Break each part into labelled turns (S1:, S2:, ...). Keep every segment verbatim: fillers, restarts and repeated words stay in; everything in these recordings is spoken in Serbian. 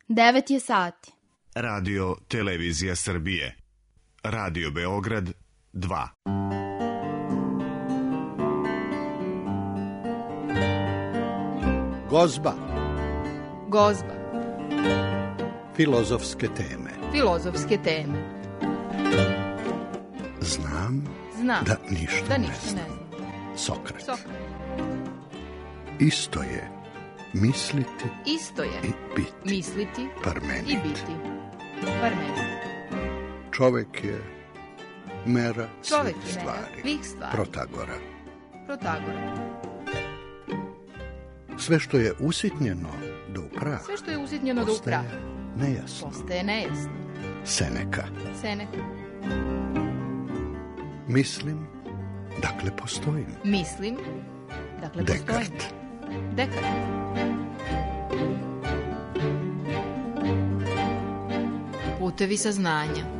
S1: Devet je sati.
S2: Radio Televizija Srbije. Radio Beograd dva.
S3: Gozba.
S1: Gozba.
S3: Filozofske teme.
S1: Filozofske teme.
S3: Znam,
S1: Znam
S3: da ništa,
S1: da
S3: ne,
S1: ništa
S3: znam.
S1: ne znam.
S3: Sokrat.
S1: Sokrat.
S3: Isto je misliti
S1: Isto je
S3: i biti.
S1: misliti
S3: Parmenid.
S1: i biti. Parmenid.
S3: Čovek je mera
S1: Čovek
S3: svih
S1: je mera
S3: stvari.
S1: svih stvari.
S3: Protagora.
S1: Protagora.
S3: Sve što je usitnjeno do upraha
S1: Sve što je usitnjeno do
S3: postaje
S1: upraha
S3: nejasno.
S1: postaje nejasno.
S3: Seneka.
S1: Seneka.
S3: Mislim, dakle postojim.
S1: Mislim, dakle postojim.
S3: Dekart.
S1: Dekart. Putevi saznanja.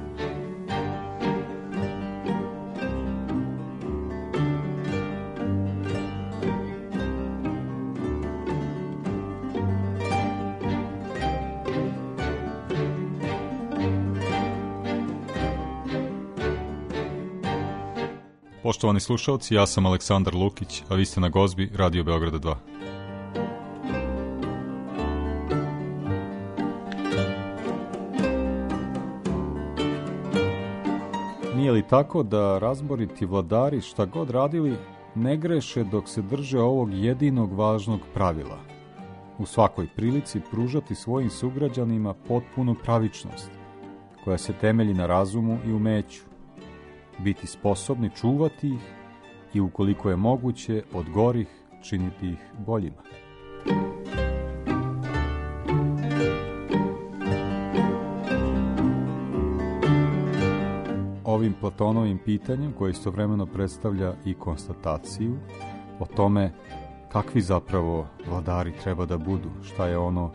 S4: Poštovani slušalci, ja sam Aleksandar Lukić, a vi ste na Gozbi Radio Beograda dva. Nije li tako da razboriti vladari šta god radili ne greše dok se drže ovog jedinog važnog pravila? U svakoj prilici pružati svojim sugrađanima potpunu pravičnost, koja se temelji na razumu i umeću, biti sposobni čuvati ih i ukoliko je moguće od gorih činiti ih boljima. Ovim Platonovim pitanjem, koje istovremeno predstavlja i konstataciju o tome kakvi zapravo vladari treba da budu, šta je ono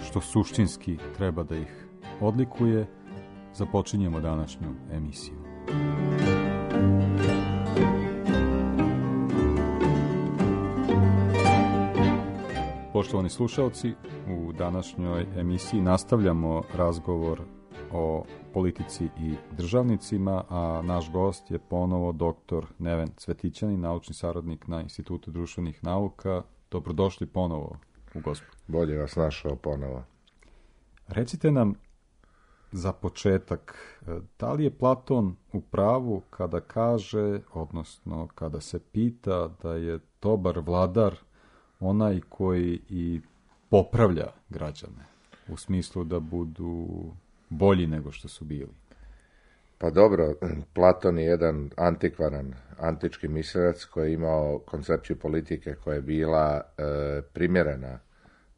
S4: što suštinski treba da ih odlikuje, započinjemo današnju emisiju. Poštovani slušalci, u današnjoj emisiji nastavljamo razgovor o politici i državnicima, a naš gost je ponovo doktor Neven Cvetićanin, naučni saradnik na Institutu društvenih nauka. Dobrodošli ponovo u Gozbu.
S5: Bolje vas našao ponovo.
S4: Recite nam za početak, da li je Platon u pravu kada kaže, odnosno kada se pita da je dobar vladar onaj koji i popravlja građane, u smislu da budu bolji nego što su bili?
S5: Pa dobro, Platon je jedan antikvaran, antički mislilac koji je imao koncepciju politike koja je bila e, primjerena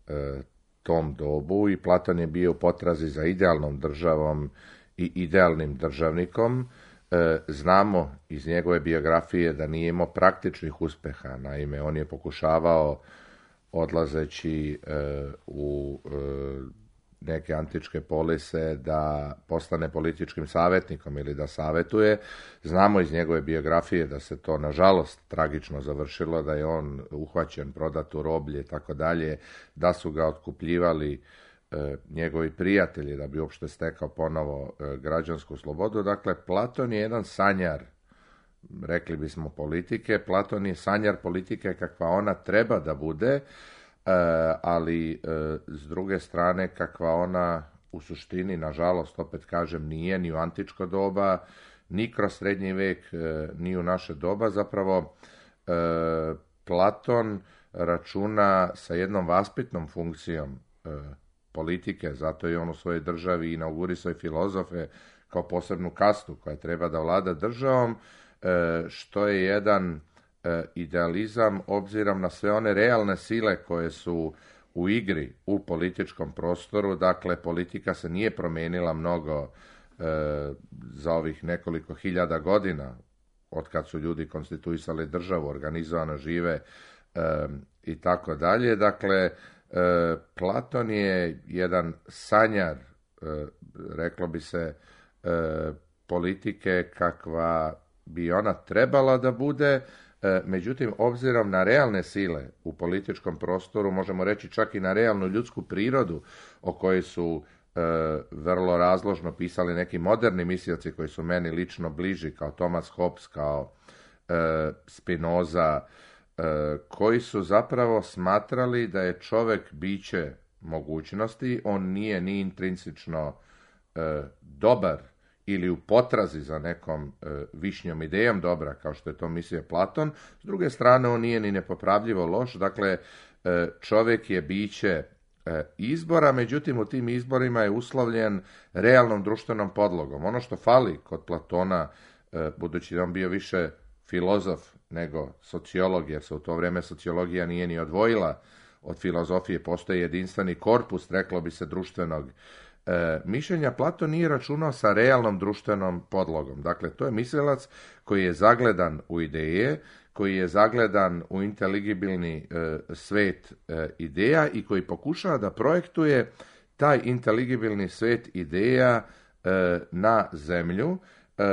S5: e, tom dobu i Platon je bio u potrazi za idealnom državom i idealnim državnikom. E, znamo iz njegove biografije da nije imao praktičnih uspeha, naime on je pokušavao odlazeći e, u e, neke antičke polise da postane političkim savjetnikom ili da savjetuje. Znamo iz njegove biografije da se to nažalost tragično završilo, da je on uhvaćen, prodat u roblje i tako dalje, da su ga otkupljivali e, njegovi prijatelji da bi uopšte stekao ponovo e, građansku slobodu. Dakle, Platon je jedan sanjar, rekli bismo, politike. Platon je sanjar politike kakva ona treba da bude, E, ali e, s druge strane kakva ona u suštini, nažalost, opet kažem, nije ni u antičko doba, ni kroz srednji vek, e, ni u naše doba. Zapravo e, Platon računa sa jednom vaspitnom funkcijom e, politike, zato je on u svojoj državi inaugurisao filozofe kao posebnu kastu koja treba da vlada državom, e, što je jedan idealizam obzirom na sve one realne sile koje su u igri u političkom prostoru. Dakle, politika se nije promijenila mnogo e, za ovih nekoliko hiljada godina od kad su ljudi konstituisali državu, organizovano žive e, i tako dalje. Dakle, e, Platon je jedan sanjar, e, reklo bi se, e, politike kakva bi ona trebala da bude, Međutim, obzirom na realne sile u političkom prostoru, možemo reći čak i na realnu ljudsku prirodu o kojoj su e, vrlo razložno pisali neki moderni mislioci koji su meni lično bliži, kao Thomas Hobbes, kao e, Spinoza, e, koji su zapravo smatrali da je čovjek biće mogućnosti, on nije ni intrinsično e, dobar ili u potrazi za nekom e, višnjom idejom dobra, kao što je to mislio Platon. S druge strane, on nije ni nepopravljivo loš, dakle, e, čovjek je biće e, izbora, međutim u tim izborima je uslovljen realnom društvenom podlogom. Ono što fali kod Platona, e, budući da on bio više filozof nego sociolog, jer se u to vrijeme sociologija nije ni odvojila od filozofije, postoji jedinstveni korpus, reklo bi se, društvenog E, mišljenja, Platon nije računao sa realnom društvenom podlogom. Dakle, to je mislilac koji je zagledan u ideje, koji je zagledan u inteligibilni e, svet e, ideja i koji pokušava da projektuje taj inteligibilni svet ideja e, na zemlju, e,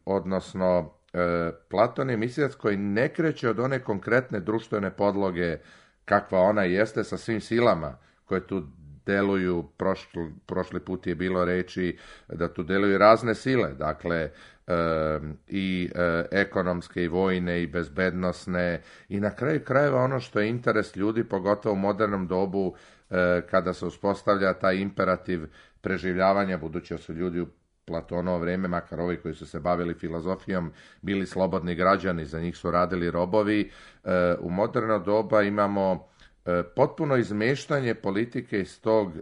S5: odnosno e, Platon je mislilac koji ne kreće od one konkretne društvene podloge kakva ona jeste, sa svim silama koje tu deluju. Prošli, prošli put je bilo reći da tu deluju razne sile, dakle e, i e, ekonomske i vojne i bezbednosne i na kraju krajeva ono što je interes ljudi, pogotovo u modernom dobu e, kada se uspostavlja taj imperativ preživljavanja, budući da su ljudi u Platonovo vrijeme, makar ovi koji su se bavili filozofijom, bili slobodni građani, za njih su radili robovi. E, u moderno doba imamo potpuno izmeštanje politike iz tog e,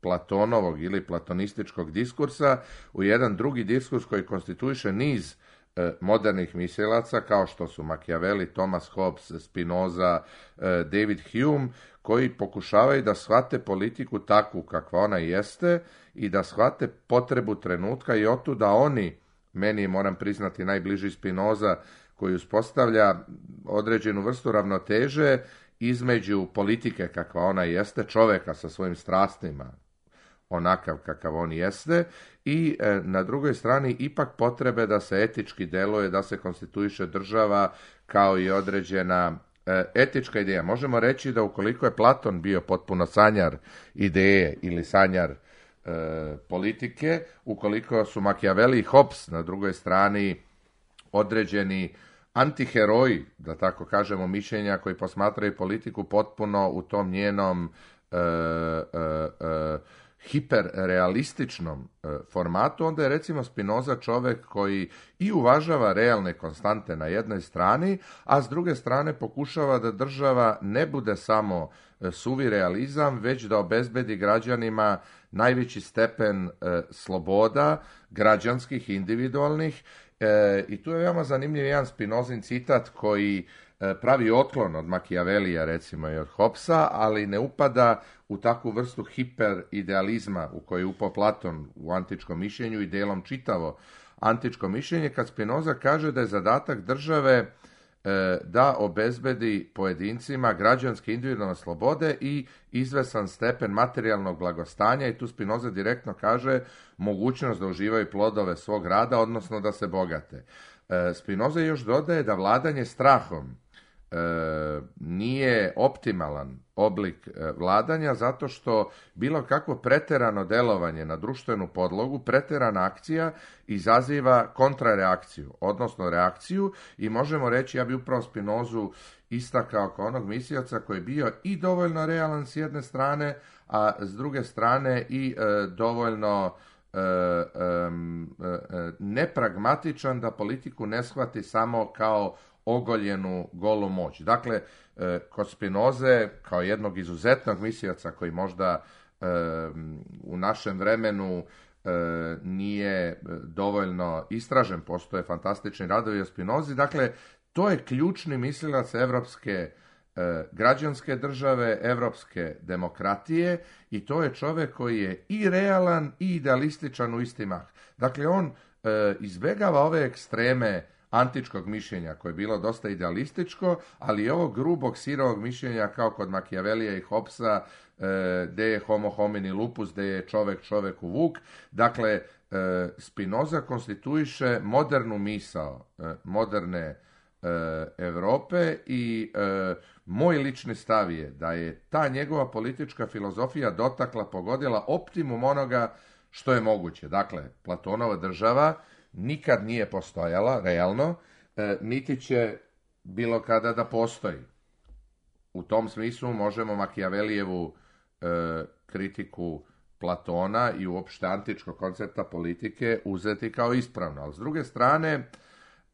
S5: Platonovog ili platonističkog diskursa u jedan drugi diskurs koji konstituiše niz e, modernih mislilaca kao što su Machiavelli, Thomas Hobbes, Spinoza, e, David Hume, koji pokušavaju da shvate politiku takvu kakva ona jeste i da shvate potrebu trenutka i otuda oni, meni moram priznati najbliži Spinoza, koji uspostavlja određenu vrstu ravnoteže između politike kakva ona jeste, čovjeka sa svojim strastima, onakav kakav on jeste, i e, na drugoj strani ipak potrebe da se etički deluje, da se konstituiše država kao i određena e, etička ideja. Možemo reći da ukoliko je Platon bio potpuno sanjar ideje ili sanjar e, politike, ukoliko su Machiavelli i Hobbes na drugoj strani određeni antiheroji, da tako kažemo, mišljenja koji posmatraju politiku potpuno u tom njenom e, e, e, hiperrealističnom e, formatu, onda je recimo Spinoza čovjek koji i uvažava realne konstante na jednoj strani, a s druge strane pokušava da država ne bude samo e, suvi realizam, već da obezbedi građanima najveći stepen e, sloboda, građanskih, individualnih. E, I tu je veoma zanimljiv jedan Spinozin citat koji e, pravi otklon od Machiavellija recimo i od Hobbesa, ali ne upada u takvu vrstu hiperidealizma u koju je upao Platon u antičkom mišljenju i delom čitavo antičko mišljenje, kad Spinoza kaže da je zadatak države e, da obezbedi pojedincima građanske individualne slobode i izvesan stepen materijalnog blagostanja, i tu Spinoza direktno kaže mogućnost da uživaju plodove svog rada, odnosno da se bogate. E, Spinoza još dodaje da vladanje strahom e, nije optimalan oblik e, vladanja, zato što bilo kakvo preterano delovanje na društvenu podlogu, preterana akcija izaziva kontrareakciju, odnosno reakciju, i možemo reći, ja bi upravo Spinozu istakao kao onog mislioca koji je bio i dovoljno realan s jedne strane, a s druge strane i e, dovoljno e, e, e, nepragmatičan da politiku ne shvati samo kao ogoljenu golu moć. Dakle, e, kod Spinoze, kao jednog izuzetnog mislioca koji možda e, u našem vremenu e, nije dovoljno istražen, postoje fantastični radovi o Spinozi, dakle, to je ključni mislilac evropske e, građanske države, evropske demokratije, i to je čovjek koji je i realan i idealističan u isti mah. Dakle, on e, izbjegava ove ekstreme antičkog mišljenja koje je bilo dosta idealističko, ali i ovog grubog sirovog mišljenja kao kod Machiavellija i Hobbesa, e, de je homo homini lupus, de je čovjek čovjeku vuk. Dakle, e, Spinoza konstituiše modernu misao, e, moderne Europe i e, moj lični stav je da je ta njegova politička filozofija dotakla, pogodila optimum onoga što je moguće. Dakle, Platonova država nikad nije postojala, realno, e, niti će bilo kada da postoji. U tom smislu možemo Makijavelijevu e, kritiku Platona i uopšte antičkog koncepta politike uzeti kao ispravno. Ali s druge strane,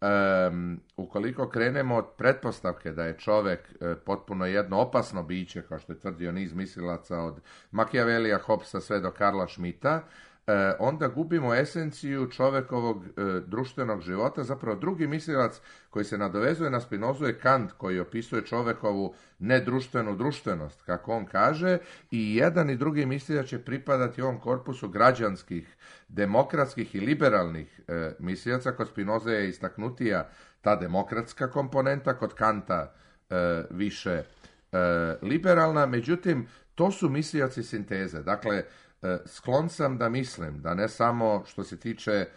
S5: um, ukoliko krenemo od pretpostavke da je čovek e, potpuno jedno opasno biće, kao što je tvrdio niz mislilaca od Makijavelija, Hobbesa sve do Karla Schmidta, e, onda gubimo esenciju čovekovog e, društvenog života. Zapravo drugi mislilac koji se nadovezuje na Spinozu je Kant, koji opisuje čovekovu nedruštvenu društvenost, kako on kaže, i jedan i drugi mislilac će pripadati ovom korpusu građanskih, demokratskih i liberalnih e, mislilaca. Kod Spinoze je istaknutija ta demokratska komponenta, kod Kanta e, više e, liberalna, međutim, to su mislilaci sinteze. Dakle, e, sklon sam da mislim da ne samo što se tiče e,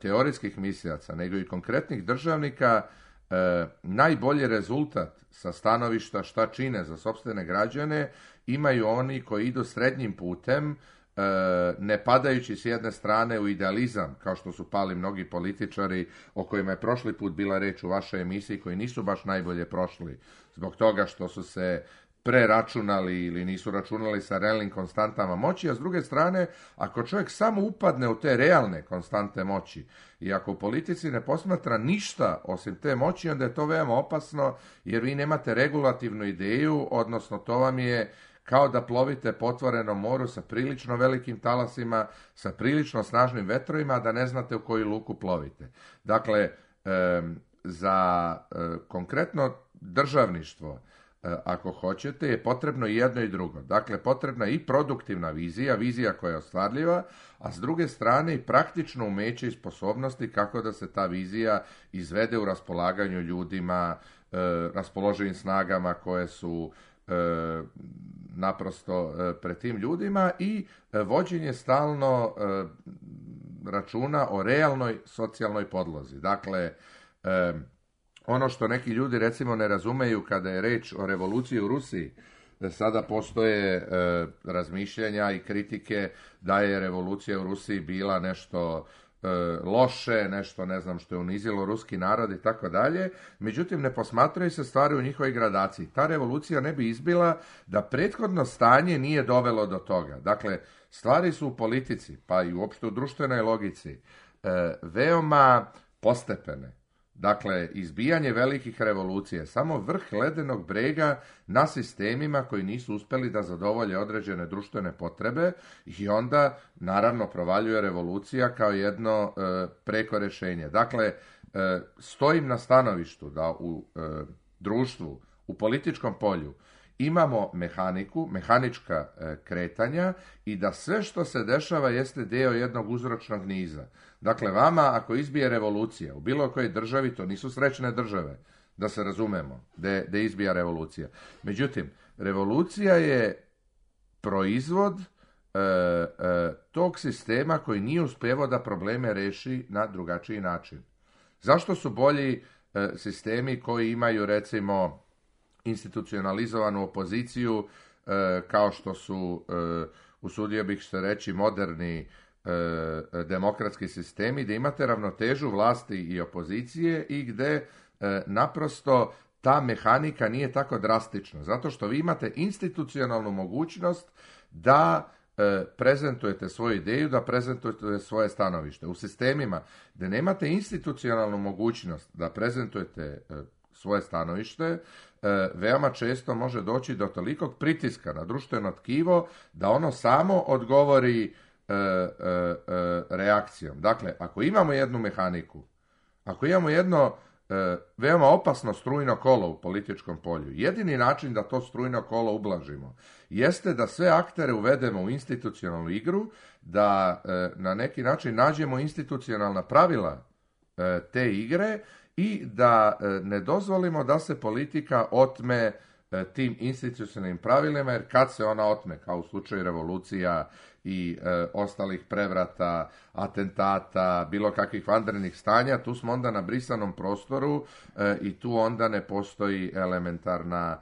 S5: teorijskih mislilaca, nego i konkretnih državnika, e, najbolji rezultat sa stanovišta šta čine za sopstvene građane imaju oni koji idu srednjim putem, ne padajući s jedne strane u idealizam, kao što su pali mnogi političari o kojima je prošli put bila reč u vašoj emisiji, koji nisu baš najbolje prošli zbog toga što su se preračunali ili nisu računali sa realnim konstantama moći, a s druge strane, ako čovjek samo upadne u te realne konstante moći i ako u politici ne posmatra ništa osim te moći, onda je to veoma opasno, jer vi nemate regulativnu ideju, odnosno to vam je kao da plovite po otvorenom moru sa prilično velikim talasima, sa prilično snažnim vetrovima, a da ne znate u koju luku plovite. Dakle, e, za e, konkretno državništvo, e, ako hoćete, je potrebno i jedno i drugo. Dakle, potrebna je i produktivna vizija, vizija koja je ostvarljiva, a s druge strane i praktično umeće i sposobnosti kako da se ta vizija izvede u raspolaganju ljudima, e, raspoloživim snagama koje su E, naprosto e, pred tim ljudima i e, vođenje stalno e, računa o realnoj socijalnoj podlozi. Dakle, e, ono što neki ljudi recimo ne razumeju kada je reč o revoluciji u Rusiji, da sada postoje e, razmišljanja i kritike da je revolucija u Rusiji bila nešto loše, nešto ne znam što je unizilo ruski narod i tako dalje, međutim ne posmatraju se stvari u njihovoj gradaciji. Ta revolucija ne bi izbila da prethodno stanje nije dovelo do toga. Dakle, stvari su u politici, pa i uopšte u društvenoj logici, veoma postepene. Dakle, izbijanje velikih revolucija je samo vrh ledenog brega na sistemima koji nisu uspeli da zadovolje određene društvene potrebe i onda, naravno, provaljuje revolucija kao jedno e, preko rešenje. Dakle, e, stojim na stanovištu da u e, društvu, u političkom polju, imamo mehaniku, mehanička e, kretanja i da sve što se dešava jeste deo jednog uzročnog niza. Dakle, vama ako izbije revolucija u bilo kojoj državi, to nisu srećne države, da se razumemo, da da izbija revolucija. Međutim, revolucija je proizvod e, e, tog sistema koji nije uspevao da probleme reši na drugačiji način. Zašto su bolji e, sistemi koji imaju, recimo, institucionalizovanu opoziciju, e, kao što su, e, usudio bih se reći, moderni e, demokratski sistemi, gde imate ravnotežu vlasti i opozicije i gde e, naprosto ta mehanika nije tako drastična, zato što vi imate institucionalnu mogućnost da e, prezentujete svoju ideju, da prezentujete svoje stanovište. U sistemima gde nemate institucionalnu mogućnost da prezentujete e, svoje stanovište, veoma često može doći do tolikog pritiska na društveno tkivo da ono samo odgovori e, e, e, reakcijom. Dakle, ako imamo jednu mehaniku, ako imamo jedno e, veoma opasno strujno kolo u političkom polju, jedini način da to strujno kolo ublažimo jeste da sve aktere uvedemo u institucionalnu igru, da e, na neki način nađemo institucionalna pravila e, te igre i da ne dozvolimo da se politika otme tim institucionalnim pravilima, jer kad se ona otme, kao u slučaju revolucija i e, ostalih prevrata, atentata, bilo kakvih vanrednih stanja, tu smo onda na brisanom prostoru e, i tu onda ne postoji elementarna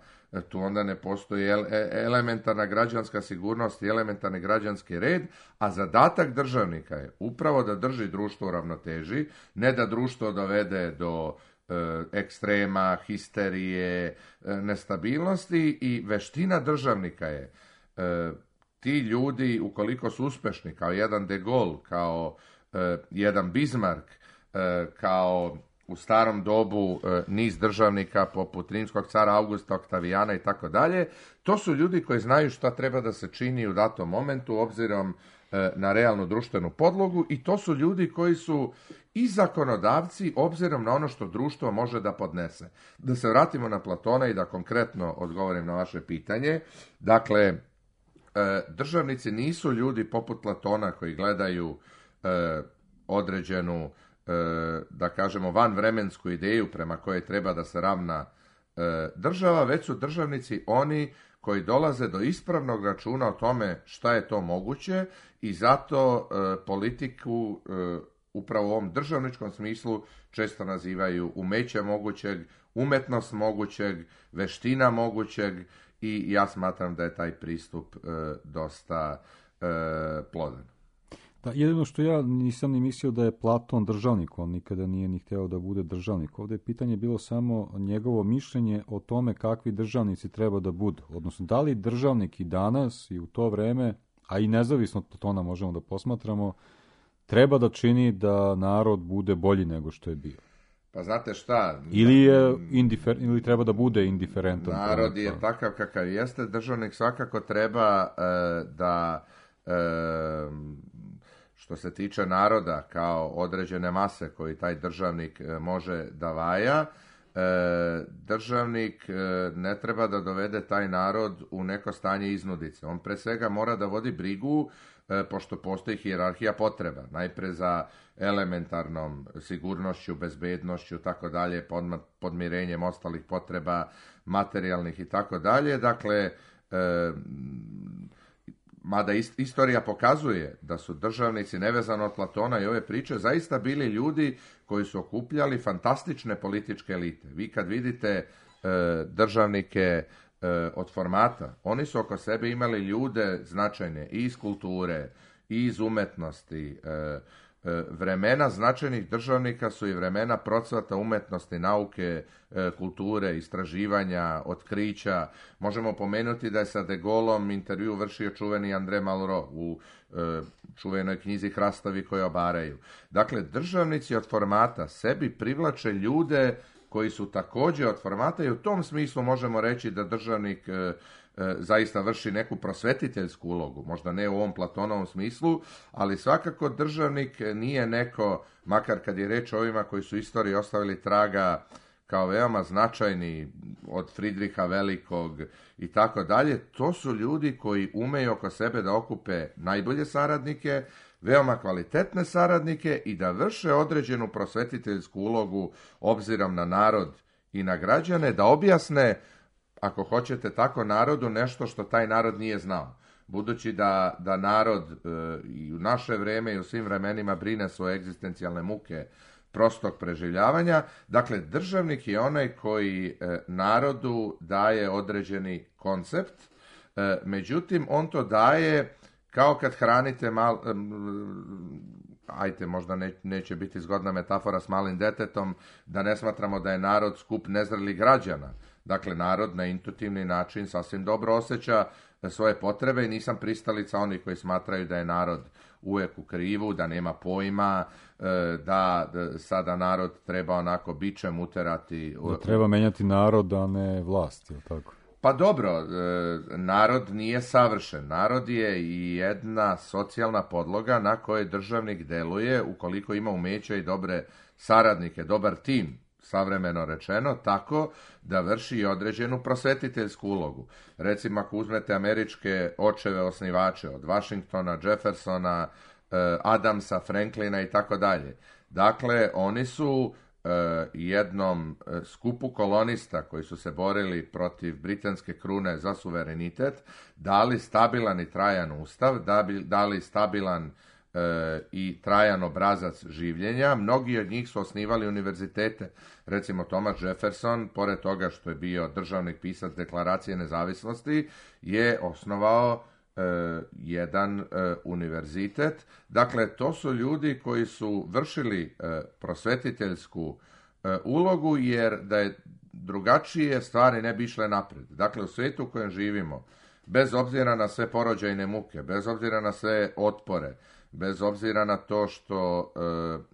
S5: tu onda ne postoji elementarna građanska sigurnost i elementarni građanski red, a zadatak državnika je upravo da drži društvo u ravnoteži, ne da društvo dovede do e, ekstrema, histerije, e, nestabilnosti, i veština državnika je e, ti ljudi, ukoliko su uspešni, kao jedan De Gaulle, kao e, jedan Bismarck, e, kao u starom dobu e, niz državnika poput rimskog cara Augusta, Oktavijana i tako dalje, to su ljudi koji znaju šta treba da se čini u datom momentu obzirom e, na realnu društvenu podlogu, i to su ljudi koji su i zakonodavci obzirom na ono što društvo može da podnese. Da se vratimo na Platona i da konkretno odgovorim na vaše pitanje. Dakle, e, državnici nisu ljudi poput Platona koji gledaju e, određenu, da kažemo, vanvremensku ideju prema kojoj treba da se ravna država, već su državnici oni koji dolaze do ispravnog računa o tome šta je to moguće, i zato politiku upravo u ovom državničkom smislu često nazivaju umeće mogućeg, umetnost mogućeg, veština mogućeg, i ja smatram da je taj pristup dosta plodan.
S4: Da, jedino što ja nisam ni mislio da je Platon državnik, on nikada nije ni hteo da bude državnik. Ovdje je pitanje bilo samo njegovo mišljenje o tome kakvi državnici treba da budu. Odnosno, da li državnik i danas i u to vreme, a i nezavisno od Platona možemo da posmatramo, treba da čini da narod bude bolji nego što je bio.
S5: Pa znate šta?
S4: Ili, je indifer, ili treba da bude indiferentan.
S5: Narod je takav kakav jeste, državnik svakako treba e, da... E, što se tiče naroda kao određene mase koji taj državnik može da vaja, državnik ne treba da dovede taj narod u neko stanje iznudice. On pre svega mora da vodi brigu, pošto postoji hijerarhija potreba. Najpre za elementarnom sigurnošću, bezbednošću, tako dalje, podmirenjem ostalih potreba, materijalnih i tako dalje. Dakle, mada istorija pokazuje da su državnici, nevezano od Platona i ove priče, zaista bili ljudi koji su okupljali fantastične političke elite. Vi kad vidite e, državnike e, od formata, oni su oko sebe imali ljude značajne i iz kulture, i iz umetnosti. E, Vremena značajnih državnika su i vremena procvata umetnosti, nauke, kulture, istraživanja, otkrića. Možemo pomenuti da je sa De Gaulleom intervju vršio čuveni André Malraux u čuvenoj knjizi Hrastovi koji obaraju. Dakle, državnici od formata sebi privlače ljude koji su također od formata, i u tom smislu možemo reći da državnik zaista vrši neku prosvetiteljsku ulogu, možda ne u ovom Platonovom smislu, ali svakako državnik nije neko, makar kad je reč o ovima koji su istoriji ostavili traga kao veoma značajni, od Fridriha Velikog i tako dalje, to su ljudi koji umeju oko sebe da okupe najbolje saradnike, veoma kvalitetne saradnike, i da vrše određenu prosvetiteljsku ulogu obzirom na narod i na građane, da objasne, ako hoćete tako, narodu nešto što taj narod nije znao. Budući da, da narod e, i u naše vreme i u svim vremenima brine svoje egzistencijalne muke prostog preživljavanja, dakle, državnik je onaj koji e, narodu daje određeni koncept, e, međutim, on to daje kao kad hranite mal... E, ajte, možda ne, neće biti zgodna metafora s malim detetom, da ne smatramo da je narod skup nezrelih građana. Dakle, narod na intuitivni način sasvim dobro osjeća svoje potrebe, i nisam pristalica onih koji smatraju da je narod uvijek u krivu, da nema pojma, da sada narod treba onako bičem uterati.
S4: Da treba menjati narod, a ne vlast, je tako?
S5: Pa dobro, narod nije savršen. Narod je i jedna socijalna podloga na kojoj državnik deluje ukoliko ima umeća i dobre saradnike, dobar tim, savremeno rečeno, tako da vrši određenu prosvetiteljsku ulogu. Recimo, ako uzmete američke očeve osnivače, od Washingtona, Jeffersona, Adamsa, Franklina i tako dalje. Dakle, oni su jednom skupu kolonista koji su se borili protiv britanske krune za suverenitet, dali stabilan i trajan ustav, dali stabilan i trajan obrazac življenja. Mnogi od njih su osnivali univerzitete. Recimo Thomas Jefferson, pored toga što je bio državnik pisac Deklaracije nezavisnosti, je osnovao e, jedan e, univerzitet. Dakle, to su ljudi koji su vršili e, prosvetiteljsku e, ulogu, jer da je drugačije stvari ne bi išle naprijed. Dakle, u svijetu u kojem živimo, bez obzira na sve porođajne muke, bez obzira na sve otpore, bez obzira na to što e,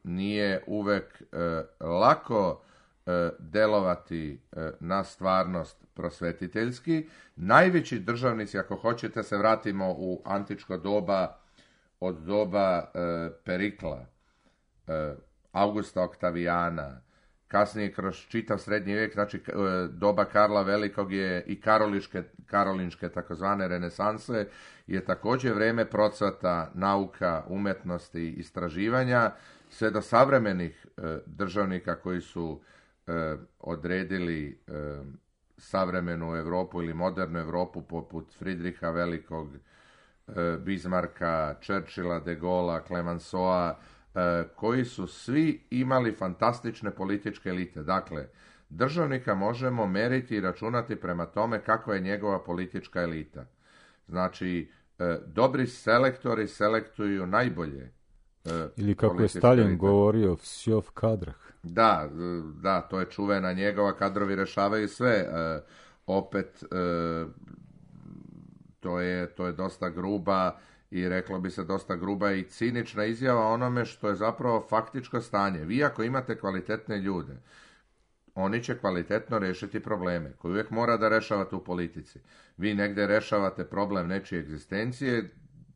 S5: nije uvek e, lako e, delovati e, na stvarnost prosvetiteljski, najveći državnici, ako hoćete se vratimo u antičko doba, od doba e, Perikla, e, Augusta Oktavijana, kasnije kroz čitav srednji vijek, znači doba Karla Velikog je i karoliške, karolinške takozvane renesanse, je također vrijeme procvata nauka, umetnosti, istraživanja, sve do savremenih e, državnika koji su e, odredili e, savremenu Europu ili modernu Europu poput Fridriha Velikog, e, Bismarcka, Churchilla, de Gaulle'a, Clemenceau'a, koji su svi imali fantastične političke elite. Dakle, državnika možemo meriti i računati prema tome kakva je njegova politička elita. Znači, dobri selektori selektuju najbolje.
S4: Ili kako je Stalin elite govorio, vsjov kadrah.
S5: Da, da, to je čuvena njegova, kadrovi rešavaju sve. Opet, to je, to je dosta gruba i reklo bi se dosta gruba i cinična izjava onome što je zapravo faktičko stanje. Vi ako imate kvalitetne ljude, oni će kvalitetno rešiti probleme koje uvijek mora da rešavate u politici. Vi negdje rešavate problem nečije egzistencije,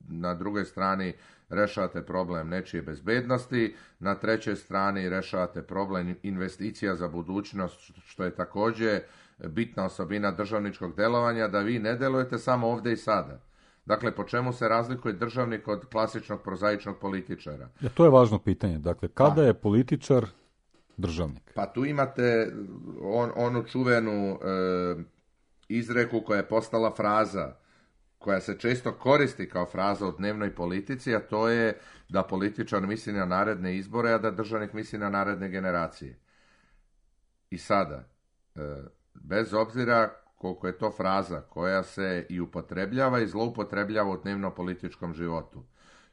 S5: na drugoj strani rešavate problem nečije bezbednosti, na trećoj strani rešavate problem investicija za budućnost, što je također bitna osobina državničkog delovanja, da vi ne delujete samo ovdje i sada. Dakle, po čemu se razlikuje državnik od klasičnog prozaičnog političara?
S4: Ja, to je važno pitanje. Dakle, kada je političar državnik?
S5: Pa tu imate on, onu čuvenu e, izreku koja je postala fraza, koja se često koristi kao fraza u dnevnoj politici, a to je da političar misli na naredne izbore, a da državnik misli na naredne generacije. I sada, e, bez obzira koliko je to fraza koja se i upotrebljava i zloupotrebljava u dnevno političkom životu.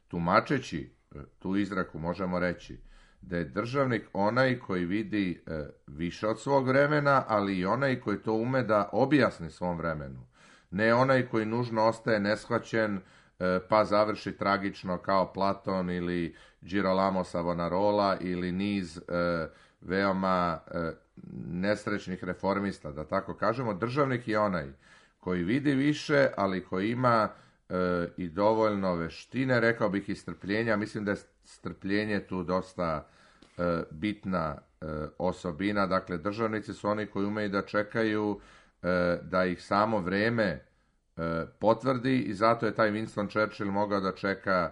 S5: Tumačeći tu izreku možemo reći da je državnik onaj koji vidi e, više od svog vremena, ali i onaj koji to ume da objasni svom vremenu. Ne onaj koji nužno ostaje neshvaćen e, pa završi tragično kao Platon ili Girolamo Savonarola ili niz e, veoma e, nesrećnih reformista, da tako kažemo. Državnik je onaj koji vidi više, ali koji ima e, i dovoljno veštine, rekao bih i strpljenja. Mislim da je strpljenje tu dosta e, bitna e, osobina. Dakle, državnici su oni koji umeju da čekaju e, da ih samo vreme e, potvrdi i zato je taj Winston Churchill mogao da čeka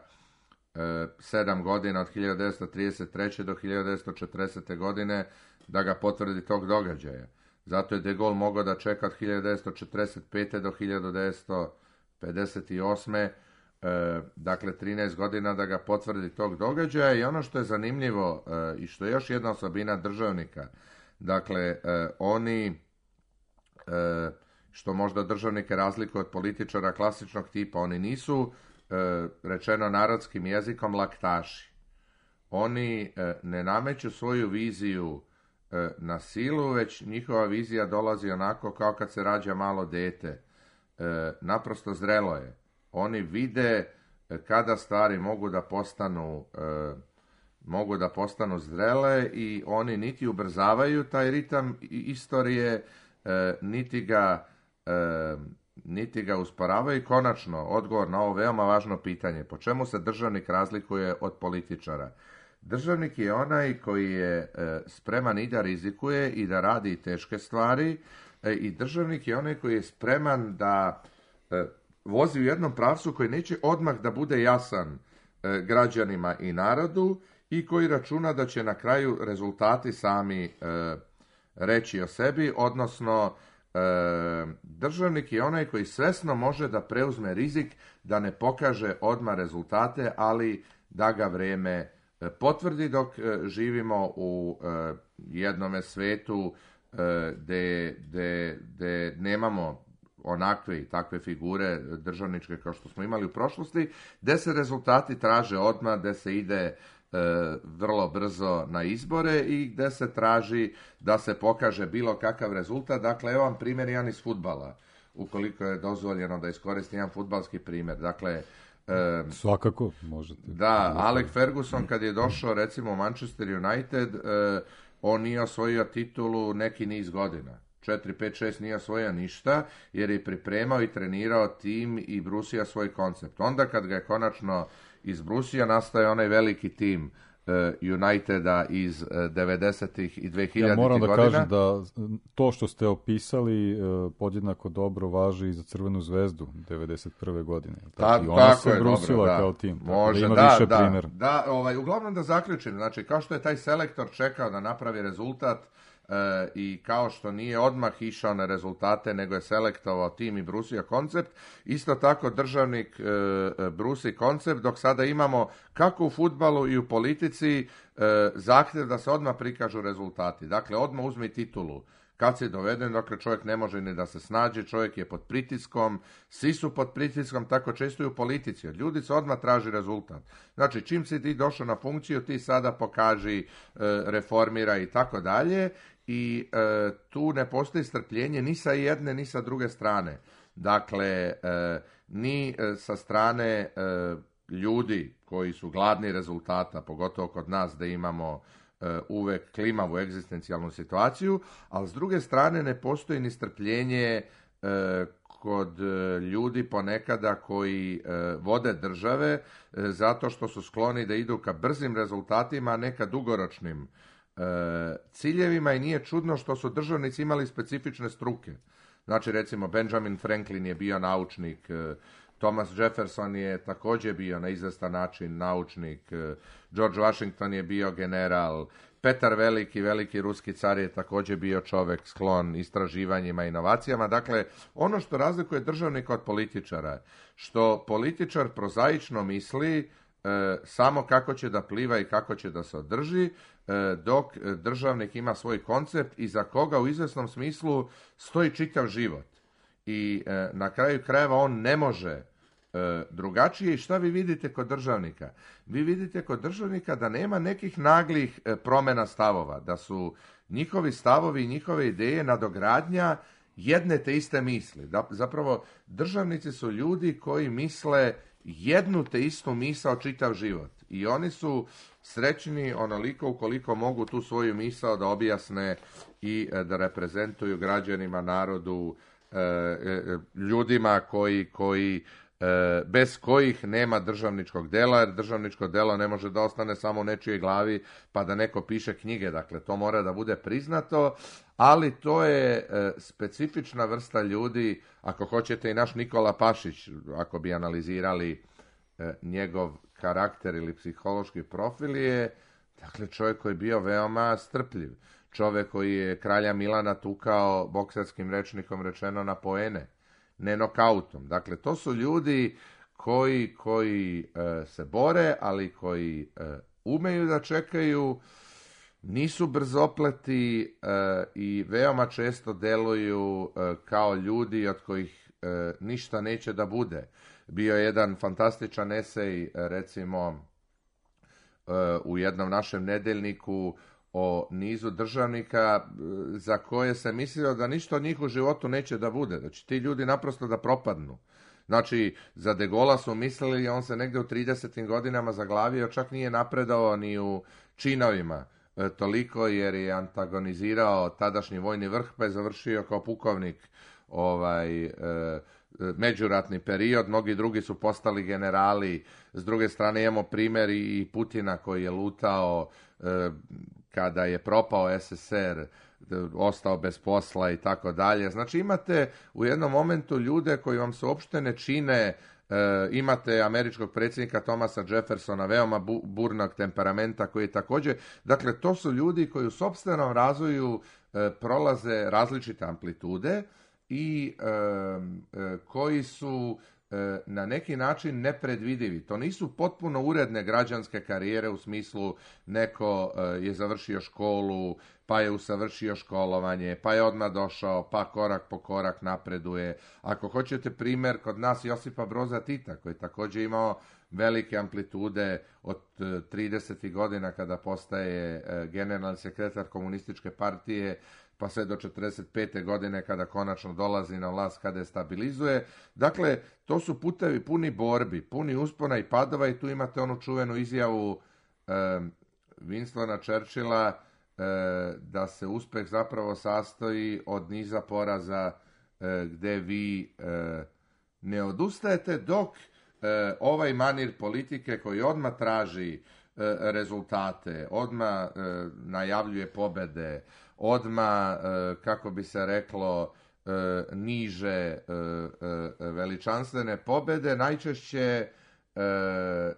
S5: e, sedam godina od hiljadu devetsto trideset treće do hiljadu devetsto četrdeset godine da ga potvrdi tog događaja. Zato je de Gaulle mogao da čeka od hiljadu devetsto četrdeset pete do hiljadu devetsto pedeset osme. E, dakle, trinaest godina da ga potvrdi tog događaja. I ono što je zanimljivo e, i što je još jedna osobina državnika, dakle, e, oni, e, što možda državnike razlikuje od političara klasičnog tipa, oni nisu, e, rečeno narodskim jezikom, laktaši. Oni e, ne nameću svoju viziju na silu, već njihova vizija dolazi onako kao kad se rađa malo dete. E, naprosto zrelo je. Oni vide kada stvari mogu da postanu e, mogu da postanu zrele i oni niti ubrzavaju taj ritam istorije, e, niti ga e, niti ga usporavaju. I konačno, odgovor na ovo veoma važno pitanje, po čemu se državnik razlikuje od političara? Državnik je onaj koji je e, spreman i da rizikuje i da radi teške stvari e, i državnik je onaj koji je spreman da e, vozi u jednom pravcu koji neće odmah da bude jasan e, građanima i narodu i koji računa da će na kraju rezultati sami e, reći o sebi, odnosno e, državnik je onaj koji svesno može da preuzme rizik da ne pokaže odmah rezultate, ali da ga vrijeme potvrdi, dok e, živimo u e, jednome svetu e, gde, gde, gde nemamo onakve i takve figure državničke kao što smo imali u prošlosti, gde se rezultati traže odmah, gde se ide e, vrlo brzo na izbore i gde se traži da se pokaže bilo kakav rezultat. Dakle, evo vam primjer jedan iz fudbala, ukoliko je dozvoljeno da iskoristim jedan fudbalski primjer. Dakle,
S4: e, svakako možete.
S5: Da, Alex Ferguson kad je došao recimo u Manchester United, e, on nije osvojio titulu neki niz godina. četiri, pet, šest nije osvojio ništa, jer je pripremao i trenirao tim i brusio svoj koncept. Onda kad ga je konačno izbrusio, nastaje onaj veliki tim Uniteda iz devedesetih i dvehiljaditih godina.
S4: Ja moram da godina. kažem da to što ste opisali podjednako dobro važi i za Crvenu zvezdu devedeset prve godine.
S5: Ta,
S4: I ona
S5: tako
S4: se
S5: je,
S4: brusila
S5: dobro, da.
S4: kao tim.
S5: Može,
S4: da ima
S5: da,
S4: više
S5: da,
S4: primjera.
S5: Da, ovaj, uglavnom da zaključim, znači kao što je taj selektor čekao da napravi rezultat, E, i kao što nije odmah išao na rezultate, nego je selektovao tim i brusio koncept, isto tako državnik e, brusi koncept, dok sada imamo kako u fudbalu i u politici e, zahtjev da se odmah prikažu rezultati. Dakle, odmah uzmi titulu. Kad si doveden, dakle čovjek ne može ni da se snađe, čovjek je pod pritiskom, svi su pod pritiskom, tako često i u politici. Od ljudi se odmah traži rezultat. Znači, čim si ti došao na funkciju, ti sada pokaži, e, reformira i tako dalje. I e, tu ne postoji strpljenje ni sa jedne ni sa druge strane. Dakle, e, ni e, sa strane e, ljudi koji su gladni rezultata, pogotovo kod nas da imamo e, uvek klimavu egzistencijalnu situaciju, ali s druge strane ne postoji ni strpljenje e, kod ljudi ponekada koji e, vode države e, zato što su skloni da idu ka brzim rezultatima, a ne ka dugoročnim E, ciljevima, i nije čudno što su državnici imali specifične struke. Znači, recimo, Benjamin Franklin je bio naučnik, e, Thomas Jefferson je također bio na izvestan način naučnik, e, George Washington je bio general, Petar Veliki, veliki ruski car, je također bio čovjek sklon istraživanjima i inovacijama. Dakle, ono što razlikuje državnika od političara, što političar prozaično misli E, samo kako će da pliva i kako će da se održi, e, dok državnik ima svoj koncept i za koga u izvesnom smislu stoji čitav život. I e, na kraju krajeva on ne može e, drugačije. I šta vi vidite kod državnika? Vi vidite kod državnika da nema nekih naglih e, promjena stavova, da su njihovi stavovi i njihove ideje nadogradnja jedne te iste misli. Da, zapravo, državnici su ljudi koji misle jednu te istu misao čitav život. I oni su srećni onoliko ukoliko mogu tu svoju misao da objasne i da reprezentuju građanima, narodu, ljudima koji, koji bez kojih nema državničkog dela, jer državničko delo ne može da ostane samo u nečijoj glavi pa da neko piše knjige. Dakle, to mora da bude priznato, ali to je specifična vrsta ljudi. Ako hoćete, i naš Nikola Pašić, ako bi analizirali njegov karakter ili psihološki profil, je dakle čovjek koji je bio veoma strpljiv. Čovjek koji je kralja Milana tukao, bokserskim rečnikom rečeno, na poene, ne nokautom. Dakle, to su ljudi koji, koji e, se bore, ali koji e, umeju da čekaju, nisu brzopleti e, i veoma često deluju e, kao ljudi od kojih e, ništa neće da bude. Bio je jedan fantastičan esej, recimo, e, u jednom našem nedeljniku o nizu državnika za koje se mislilo da ništa od njih u životu neće da bude. Znači, ti ljudi naprosto da propadnu. Znači, za De Gaulle'a su mislili, on se negdje u tridesetim godinama zaglavio, čak nije napredao ni u činovima e, toliko, jer je antagonizirao tadašnji vojni vrh, pa je završio kao pukovnik ovaj, e, međuratni period. Mnogi drugi su postali generali. S druge strane imamo primjer i Putina koji je lutao e, kada je propao es es er, ostao bez posla i tako dalje. Znači, imate u jednom momentu ljude koji vam se uopšte ne čine E, imate američkog predsjednika Thomasa Jeffersona, veoma bu, burnog temperamenta koji je također, dakle to su ljudi koji u sopstvenom razvoju e, prolaze različite amplitude i e, e, koji su e, na neki način nepredvidivi. To nisu potpuno uredne građanske karijere u smislu neko e, je završio školu, pa je usavršio školovanje, pa je odmah došao, pa korak po korak napreduje. Ako hoćete primjer, kod nas Josipa Broza Tita, koji je također imao velike amplitude od tridesetih godina kada postaje generalni sekretar komunističke partije, pa sve do četrdeset pete godine kada konačno dolazi na vlast, kada je stabilizuje. Dakle, to su putevi puni borbi, puni uspona i padova i tu imate onu čuvenu izjavu eh, Winstona Churchilla da se uspjeh zapravo sastoji od niza poraza gdje vi ne odustajete, dok ovaj manir politike koji odmah traži rezultate, odmah najavljuje pobjede, odmah, kako bi se reklo, niže veličanstvene pobjede, najčešće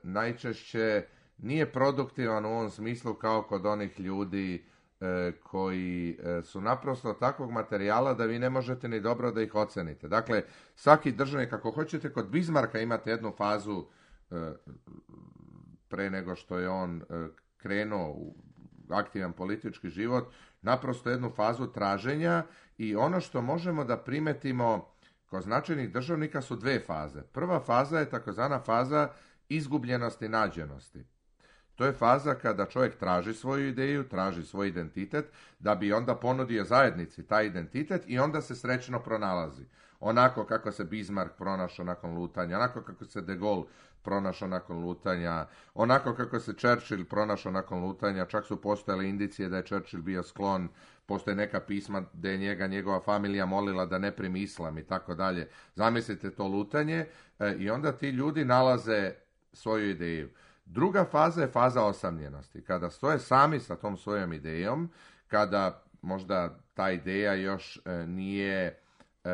S5: najčešće nije produktivan u ovom smislu kao kod onih ljudi e, koji e, su naprosto takvog materijala da vi ne možete ni dobro da ih ocenite. Dakle, svaki državnik, ako hoćete, kod Bismarcka imate jednu fazu e, pre nego što je on e, krenuo u aktivan politički život, naprosto jednu fazu traženja i ono što možemo da primetimo kod značajnih državnika su dve faze. Prva faza je takozvana faza izgubljenosti nađenosti. To je faza kada čovjek traži svoju ideju, traži svoj identitet, da bi onda ponudio zajednici taj identitet i onda se srećno pronalazi. Onako kako se Bismarck pronašao nakon lutanja, onako kako se de Gaulle pronašao nakon lutanja, onako kako se Churchill pronašao nakon lutanja, čak su postojale indicije da je Churchill bio sklon, postoje neka pisma da je njega njegova familija molila da ne primi islam i tako dalje. Zamislite to lutanje e, i onda ti ljudi nalaze svoju ideju. Druga faza je faza osamljenosti, kada stoje sami sa tom svojom idejom, kada možda ta ideja još e, nije e,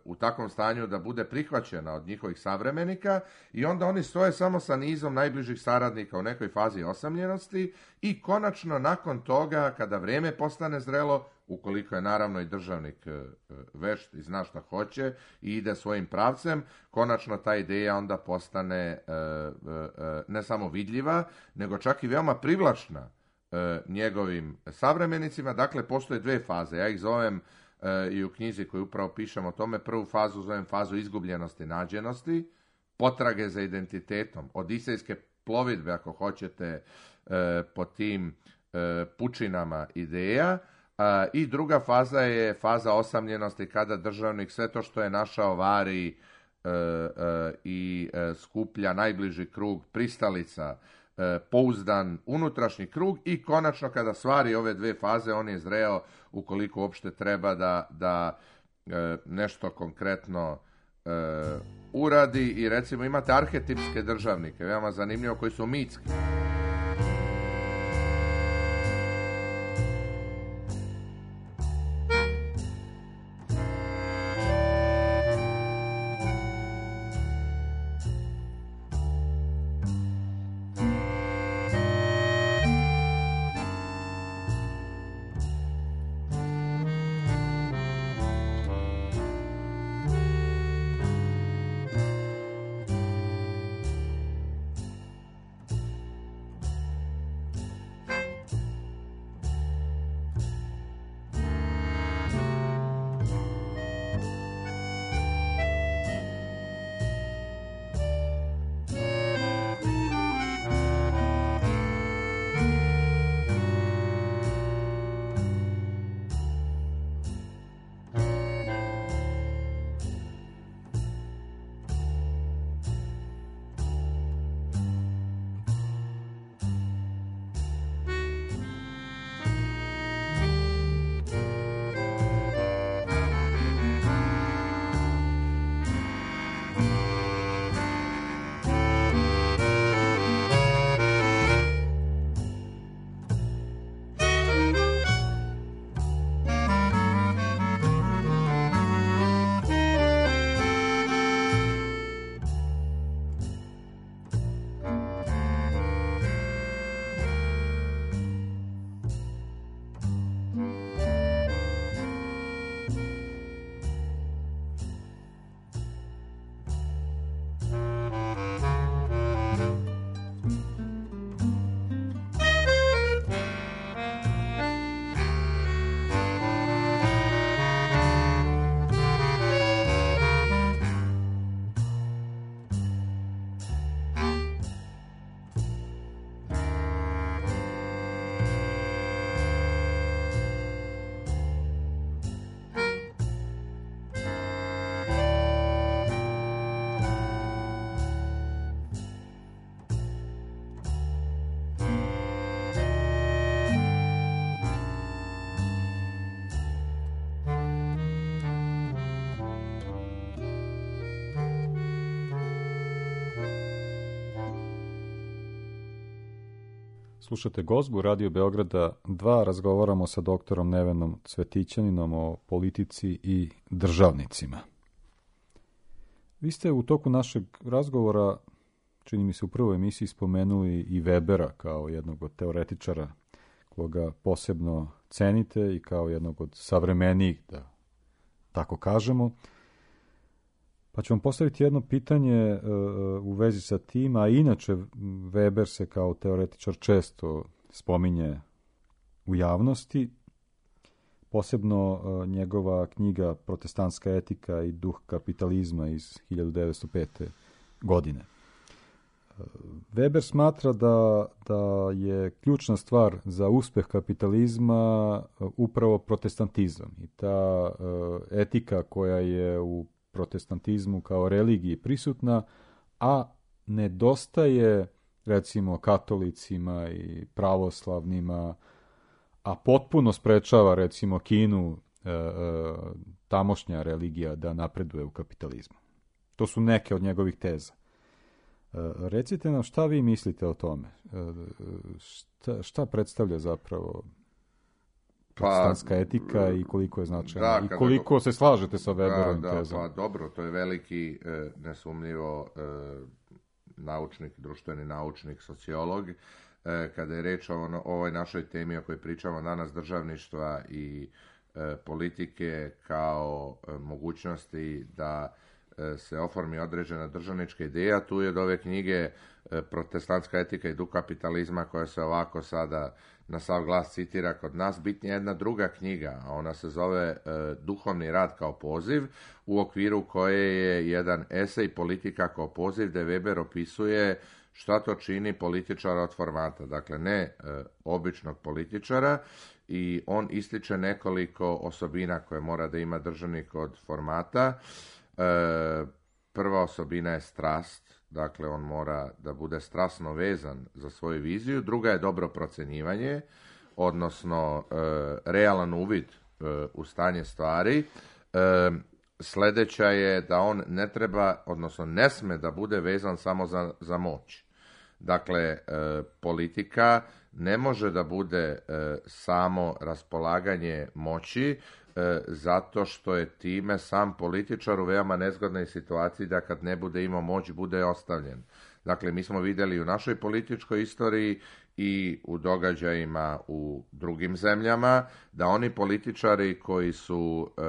S5: u takvom stanju da bude prihvaćena od njihovih savremenika i onda oni stoje samo sa nizom najbližih saradnika u nekoj fazi osamljenosti i konačno nakon toga, kada vrijeme postane zrelo, ukoliko je naravno i državnik e, vešt i zna šta hoće i ide svojim pravcem, konačno ta ideja onda postane e, e, ne samo vidljiva, nego čak i veoma privlačna e, njegovim savremenicima. Dakle, postoje dve faze. Ja ih zovem e, i u knjizi koju upravo pišem o tome, prvu fazu zovem fazu izgubljenosti nađenosti, potrage za identitetom, odisejske plovidbe, ako hoćete, e, po tim e, pučinama ideja. A, i druga faza je faza osamljenosti, kada državnik sve to što je našao vari e, e, i e, skuplja najbliži krug pristalica, e, pouzdan unutrašnji krug i konačno kada stvari ove dve faze on je zreo ukoliko uopšte treba da, da e, nešto konkretno e, uradi i recimo imate arhetipske državnike, veoma zanimljivo, koji su mitski.
S4: Slušate Gozbu Radio Beograda dva, razgovaramo sa doktorom Nevenom Cvetićaninom o politici i državnicima. Vi ste u toku našeg razgovora, čini mi se u prvoj emisiji, spomenuli i Webera kao jednog od teoretičara koga posebno cenite i kao jednog od savremenijih, da tako kažemo. Pa ću vam postaviti jedno pitanje uh, u vezi sa tim, a inače Weber se kao teoretičar često spominje u javnosti, posebno uh, njegova knjiga Protestantska etika i duh kapitalizma iz hiljadu devetsto pete. godine. Uh, Weber smatra da, da je ključna stvar za uspeh kapitalizma uh, upravo protestantizam i ta uh, etika koja je u protestantizmu kao religiji prisutna, a nedostaje recimo katolicima i pravoslavnima, a potpuno sprečava recimo Kinu e, e, tamošnja religija da napreduje u kapitalizmu. To su neke od njegovih teza. E, recite nam šta vi mislite o tome? E, šta, šta predstavlja zapravo protestantska pa, etika i koliko je značajna i koliko go... se slažete sa Weberovim
S5: da,
S4: tezama?
S5: Pa dobro, to je veliki, e, nesumnjivo e, naučnik, društveni naučnik, sociolog. E, kada je reč o ono, ovoj našoj temi o kojoj pričamo danas, državništva i e, politike kao e, mogućnosti da e, se oformi određena državnička ideja, tu je od ove knjige e, Protestantska etika i duh kapitalizma, koja se ovako sada na sav glas citira kod nas, bitnija jedna druga knjiga, a ona se zove e, Duhovni rad kao poziv, u okviru koje je jedan esej Politika kao poziv, gde Weber opisuje šta to čini političara od formata, dakle ne e, običnog političara, i on ističe nekoliko osobina koje mora da ima državnik od formata. E, prva osobina je strast, dakle on mora da bude strasno vezan za svoju viziju. Druga je dobro procenjivanje, odnosno e, realan uvid e, u stanje stvari. E, sledeća je da on ne treba, odnosno ne sme da bude vezan samo za, za moć. Dakle, e, politika ne može da bude e, samo raspolaganje moći, e, zato što je time sam političar u veoma nezgodnoj situaciji da kad ne bude imao moć, bude ostavljen. Dakle, mi smo vidjeli u našoj političkoj istoriji i u događajima u drugim zemljama da oni političari koji su e,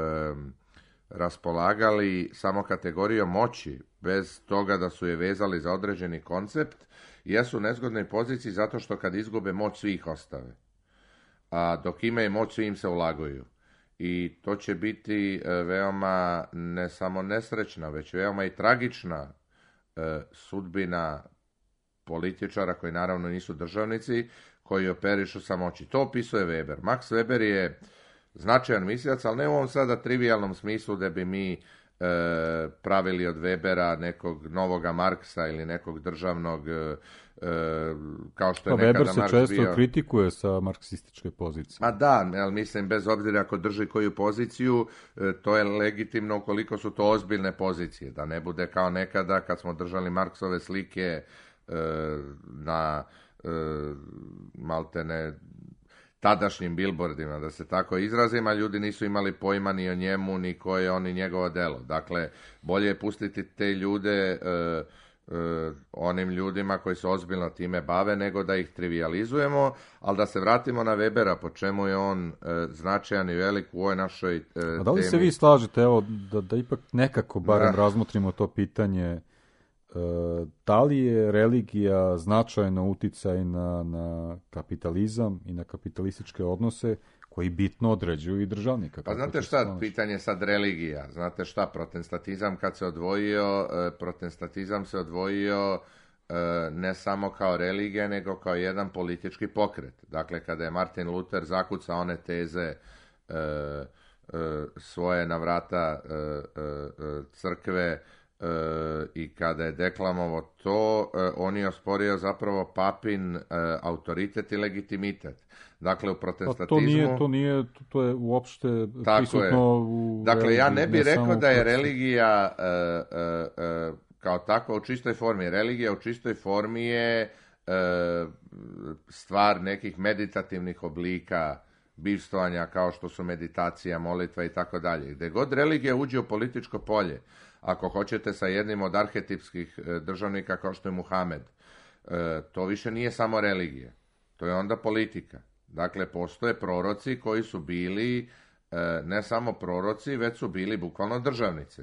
S5: raspolagali samo kategorijom moći, bez toga da su je vezali za određeni koncept, jesu u nezgodnoj poziciji zato što kad izgube moć, svi ih ostave. A dok imaju moć, svi im se ulaguju. I to će biti veoma ne samo nesrećna, već veoma i tragična e, sudbina političara koji naravno nisu državnici, koji operišu sa moći. To opisuje Weber. Max Weber je značajan mislilac, ali ne u ovom sada trivijalnom smislu da bi mi e, pravili od Webera nekog novoga Marksa ili nekog državnog, e, kao što je
S4: pa
S5: nekada
S4: Weber se
S5: Marks
S4: često
S5: bio.
S4: kritikuje sa marksističke pozicije.
S5: A da, ali mislim, bez obzira ako drži koju poziciju, e, to je legitimno ukoliko su to ozbiljne pozicije, da ne bude kao nekada kad smo držali Marksove slike e, na e, maltene tadašnjim billboardima, da se tako izrazim, a ljudi nisu imali pojma ni o njemu, ni koje je on i njegovo delo. Dakle, bolje je pustiti te ljude e, e, onim ljudima koji se ozbiljno time bave, nego da ih trivializujemo, ali da se vratimo na Webera, po čemu je on e, značajan i velik u ovoj našoj e,
S4: a da li
S5: temi.
S4: se vi slažete, evo, da, da ipak nekako barem
S5: Da.
S4: razmotrimo to pitanje, da li je religija značajno uticaj na, na kapitalizam i na kapitalističke odnose koji bitno određuju i državnika?
S5: Pa znate šta, pitanje sad religija. Znate šta, protestantizam kad se odvojio, protestantizam se odvojio ne samo kao religija, nego kao jedan politički pokret. Dakle, kada je Martin Luther zakucao one teze svoje na vrata crkve, E, i kada je deklamovao to, e, on je osporio zapravo papin e, autoritet i legitimitet. Dakle, u protestantizmu...
S4: Pa to nije, to nije, to je uopšte prisutno
S5: je.
S4: u...
S5: Dakle, ja ne bih
S4: ne
S5: rekao da je
S4: procesu.
S5: religija e, e, e, kao takva u čistoj formi. Religija u čistoj formi je stvar nekih meditativnih oblika bivstvovanja kao što su meditacija, molitva i tako dalje. Gde god religija uđe u političko polje, ako hoćete sa jednim od arhetipskih državnika kao što je Muhamed, to više nije samo religija, to je onda politika. Dakle, postoje proroci koji su bili ne samo proroci, već su bili bukvalno državnici.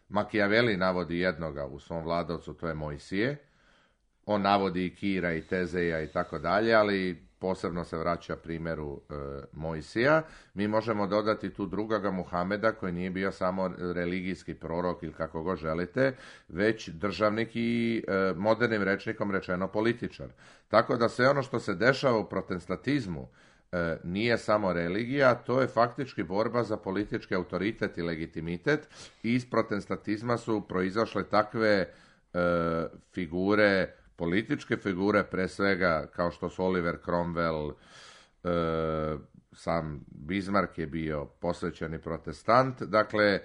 S5: Machiavelli navodi jednoga u svom vladavcu, to je Mojsije. On navodi i Kira i Tezeja i tako dalje, ali posebno se vraća primjeru e, Mojsija. Mi možemo dodati tu drugoga Muhameda koji nije bio samo religijski prorok ili kako god želite, već državnik i e, modernim rečnikom rečeno političar. Tako da sve ono što se dešava u protestantizmu e, nije samo religija, to je faktički borba za politički autoritet i legitimitet i iz protestantizma su proizašle takve e, figure, političke figure, pre svega kao što su Oliver Cromwell, e, sam Bismarck je bio posvećeni protestant. Dakle, e,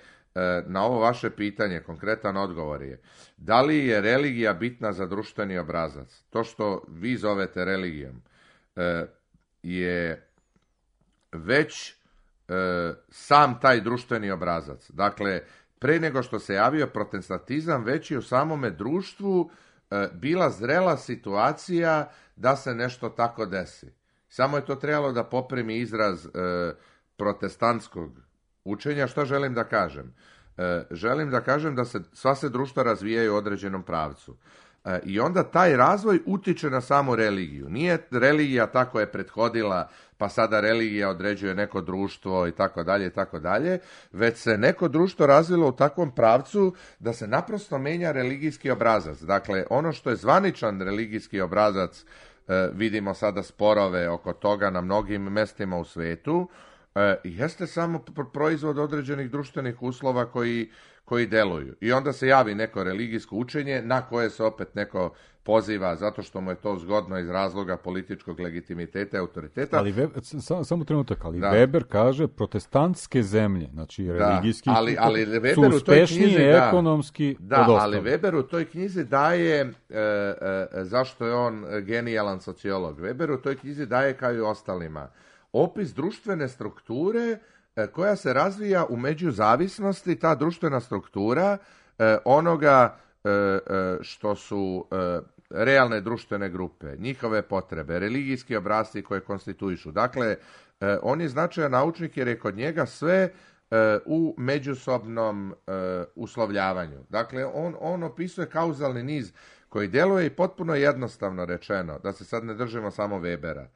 S5: na ovo vaše pitanje konkretan odgovor je: da li je religija bitna za društveni obrazac? To što vi zovete religijom e, je već e, sam taj društveni obrazac. Dakle, pre nego što se javio protestantizam, već je u samome društvu bila zrela situacija da se nešto tako desi. Samo je to trebalo da poprimi izraz e, protestantskog učenja. Što želim da kažem? E, želim da kažem da se sva se društva razvijaju u određenom pravcu. E, I onda taj razvoj utiče na samu religiju. Nije religija tako je prethodila, pa sada religija određuje neko društvo i tako dalje i tako dalje, već se neko društvo razvilo u takvom pravcu da se naprosto menja religijski obrazac. Dakle, ono što je zvaničan religijski obrazac, e, vidimo sada sporove oko toga na mnogim mestima u svetu, e, jeste samo proizvod određenih društvenih uslova koji koji deluju. I onda se javi neko religijsko učenje na koje se opet neko poziva zato što mu je to zgodno iz razloga političkog legitimiteta i autoriteta.
S4: Ali Weber, sam, samo trenutak, ali
S5: da.
S4: Weber kaže protestantske zemlje, znači religijski,
S5: da, ali, ali Weber
S4: su
S5: u toj
S4: uspešnije
S5: knjizi, da,
S4: ekonomski
S5: da,
S4: od
S5: ali
S4: ostalih.
S5: Weber u toj knjizi daje, e, e, zašto je on genijalan sociolog, Weber u toj knjizi daje kao i ostalima opis društvene strukture koja se razvija u međuzavisnosti, ta društvena struktura eh, onoga eh, što su eh, realne društvene grupe, njihove potrebe, religijski obrasci koje konstituišu. Dakle, eh, on je značajan naučnik jer je kod njega sve eh, u međusobnom eh, uslovljavanju. Dakle, on, on opisuje kauzalni niz koji djeluje i potpuno jednostavno rečeno, da se sad ne držimo samo Webera.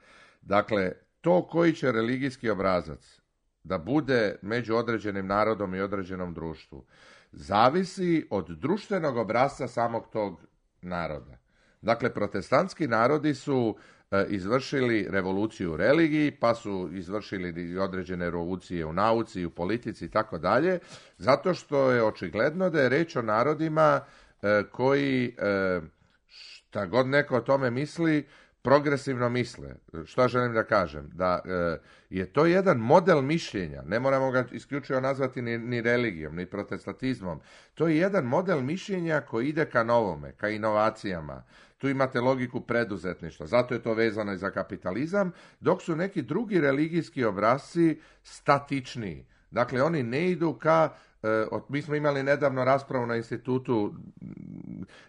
S5: Dakle, to koji će religijski obrazac da bude među određenim narodom i određenom društvu, zavisi od društvenog obrasca samog tog naroda. Dakle, protestantski narodi su e, izvršili revoluciju u religiji, pa su izvršili određene revolucije u nauci, u politici i tako dalje, zato što je očigledno da je reč o narodima e, koji, e, šta god neko o tome misli, progresivno misle. Što želim da kažem? Da e, je to jedan model mišljenja. Ne moramo ga isključivo nazvati ni, ni religijom, ni protestantizmom. To je jedan model mišljenja koji ide ka novome, ka inovacijama. Tu imate logiku preduzetništva. Zato je to vezano i za kapitalizam, dok su neki drugi religijski obrasci statičniji. Dakle, oni ne idu ka... E, mi smo imali nedavno raspravu na institutu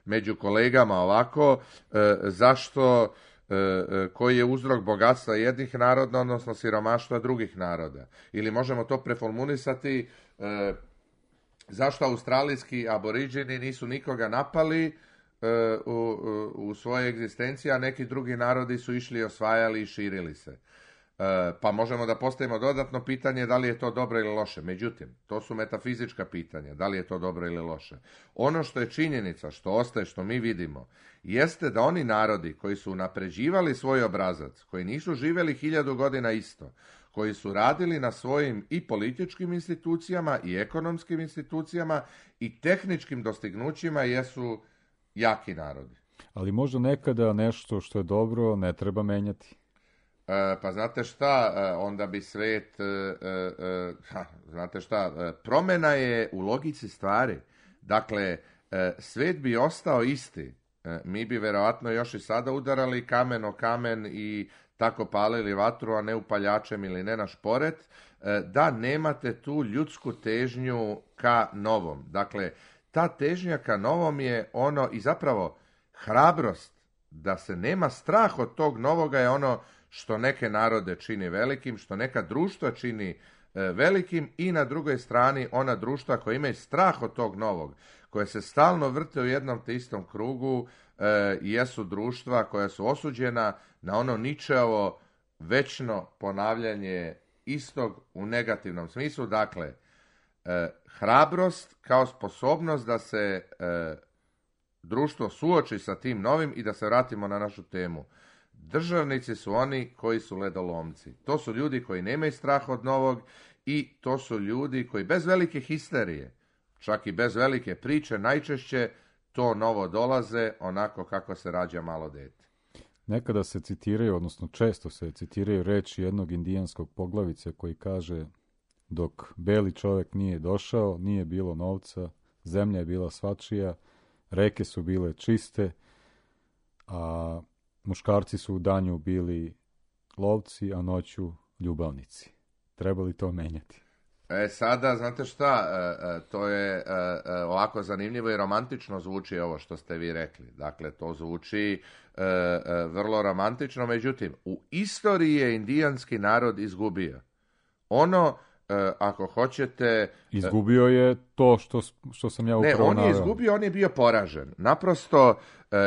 S5: među kolegama ovako, e, zašto... koji je uzrok bogatstva jednih naroda, odnosno siromaštva drugih naroda. Ili možemo to preformulisati, e, zašto australijski aboriđini nisu nikoga napali e, u, u svojoj egzistenciji, a neki drugi narodi su išli, osvajali i širili se. E, pa možemo da postavimo dodatno pitanje da li je to dobro ili loše. Međutim, to su metafizička pitanja, da li je to dobro ili loše. Ono što je činjenica, što ostaje, što mi vidimo, jeste da oni narodi koji su unapređivali svoj obrazac, koji nisu živjeli hiljadu godina isto, koji su radili na svojim i političkim institucijama i ekonomskim institucijama i tehničkim dostignućima, jesu jaki narodi.
S4: Ali možda nekada nešto što je dobro ne treba menjati.
S5: Pa znate šta, onda bi svet, ha, znate šta, promjena je u logici stvari. Dakle, svet bi ostao isti mi bi vjerojatno još i sada udarali kamen o kamen i tako palili vatru, a ne upaljačem ili ne na šporet, da nemate tu ljudsku težnju ka novom. Dakle, ta težnja ka novom je ono, i zapravo hrabrost da se nema strah od tog novoga je ono što neke narode čini velikim, što neka društva čini velikim, i na drugoj strani ona društva koja imaju strah od tog novog, koje se stalno vrte u jednom te istom krugu, e, jesu društva koja su osuđena na ono Ničeovo večno ponavljanje istog u negativnom smislu. Dakle, e, hrabrost kao sposobnost da se e, društvo suoči sa tim novim i da se vratimo na našu temu. Državnici su oni koji su ledolomci. To su ljudi koji nemaju strah od novog i to su ljudi koji bez velike histerije, čak i bez velike priče, najčešće to novo dolaze onako kako se rađa malo dete.
S4: Nekada se citiraju, odnosno često se citiraju reči jednog indijanskog poglavice koji kaže: dok beli čovjek nije došao, nije bilo novca, zemlja je bila svačija, reke su bile čiste, a muškarci su u danju bili lovci, a noću ljubavnici. Treba li to menjati?
S5: E sada, znate šta, to je ovako zanimljivo i romantično zvuči ovo što ste vi rekli. Dakle, to zvuči vrlo romantično, međutim, u istoriji je indijanski narod izgubio. Ono, ako hoćete...
S4: Izgubio je to što, što sam ja upravo
S5: naveo. Ne, on je
S4: naveo.
S5: izgubio, on je bio poražen. Naprosto,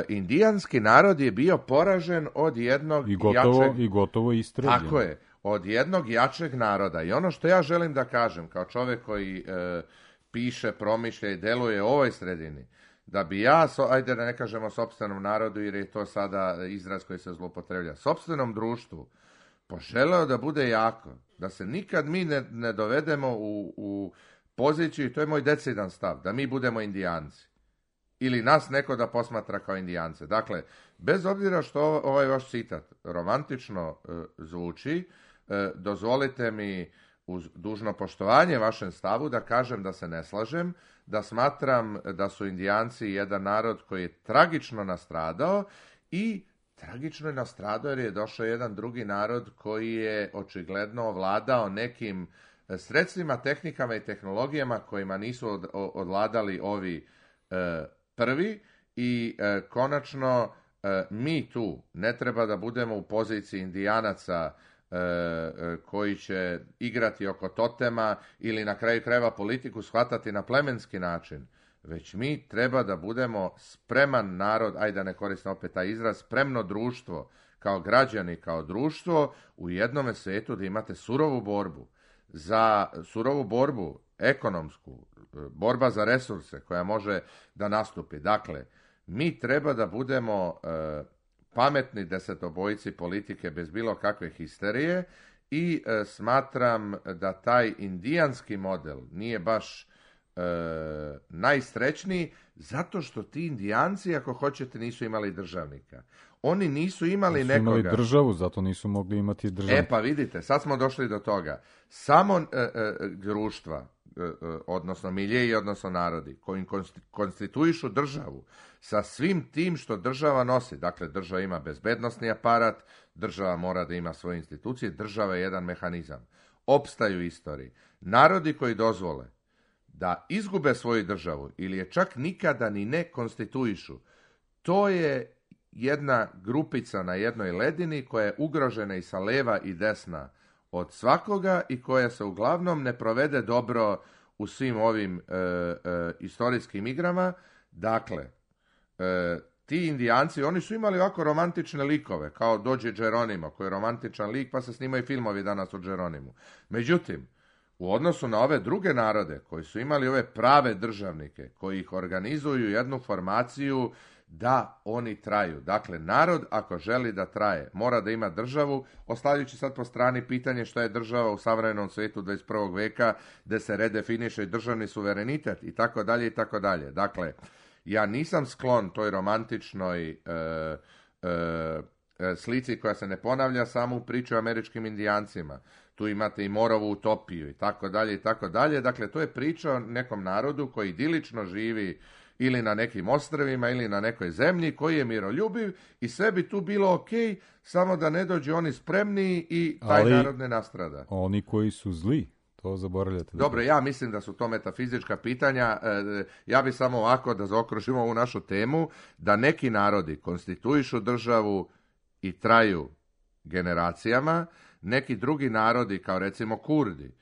S5: indijanski narod je bio poražen od jednog
S4: I gotovo,
S5: jačeg...
S4: I gotovo istrebljen.
S5: Tako je. Od jednog jačeg naroda. I ono što ja želim da kažem, kao čovjek koji e, piše, promišlja i deluje u ovoj sredini, da bi ja, so, ajde da ne kažemo sopstvenom narodu, jer je to sada izraz koji se zloupotrebljava, sopstvenom društvu, poželeo da bude jako, da se nikad mi ne, ne dovedemo u, u poziciju, to je moj decidan stav, da mi budemo Indijanci. Ili nas neko da posmatra kao Indijance. Dakle, bez obzira što ovaj vaš citat romantično e, zvuči, e, dozvolite mi uz dužno poštovanje vašem stavu da kažem da se ne slažem, da smatram da su Indijanci jedan narod koji je tragično nastradao i tragično je nastradao jer je došao jedan drugi narod koji je očigledno ovladao nekim sredstvima, tehnikama i tehnologijama kojima nisu od, odvladali ovi e, prvi i e, konačno e, mi tu ne treba da budemo u poziciji Indijanaca e, e, koji će igrati oko totema ili na kraju krajeva politiku shvatati na plemenski način, već mi treba da budemo spreman narod, ajde da ne koristim opet taj izraz, spremno društvo, kao građani, kao društvo u jednome svijetu da imate surovu borbu, za surovu borbu ekonomsku, borba za resurse koja može da nastupi. Dakle, mi treba da budemo e, pametni desetobojci politike bez bilo kakve histerije i e, smatram da taj indijanski model nije baš e, najsrećniji zato što ti Indijanci, ako hoćete, nisu imali državnika. Oni nisu imali
S4: nisu
S5: nekoga.
S4: Imali državu, zato nisu mogli imati državnika.
S5: E pa vidite, sad smo došli do toga. Samo e, e, društva, odnosno miljeji, odnosno narodi, koji konstituišu državu sa svim tim što država nosi. Dakle, država ima bezbednosni aparat, država mora da ima svoje institucije, država je jedan mehanizam. Opstaju u istoriji. Narodi koji dozvole da izgube svoju državu ili je čak nikada ni ne konstituišu, to je jedna grupica na jednoj ledini koja je ugrožena i sa leva i desna od svakoga i koja se uglavnom ne provede dobro u svim ovim e, e, istorijskim igrama. Dakle, e, ti Indijanci, oni su imali ovako romantične likove, kao dođe Geronimo, koji je romantičan lik, pa se snimaju filmovi danas o Geronimu. Međutim, u odnosu na ove druge narode, koji su imali ove prave državnike, koji ih organizuju jednu formaciju da oni traju. Dakle, narod ako želi da traje, mora da ima državu, ostavljajući sad po strani pitanje što je država u savremenom svijetu dvadeset prvog veka, gde se redefiniše državni suverenitet i tako dalje i tako dalje. Dakle, ja nisam sklon toj romantičnoj e, e, slici koja se ne ponavlja samo u priči o američkim Indijancima. Tu imate i Morovu utopiju i tako dalje i tako dalje. Dakle, to je priča o nekom narodu koji idilično živi ili na nekim ostrvima ili na nekoj zemlji koji je miroljubiv i sve bi tu bilo ok, samo da ne dođu oni spremniji i taj
S4: Ali
S5: narod ne nastrada.
S4: Oni koji su zli, to zaboravljate.
S5: Dobro, ja mislim da su to metafizička pitanja. Ja bi samo ovako da zaokružimo ovu našu temu, da neki narodi konstituišu državu i traju generacijama, neki drugi narodi, kao recimo Kurdi,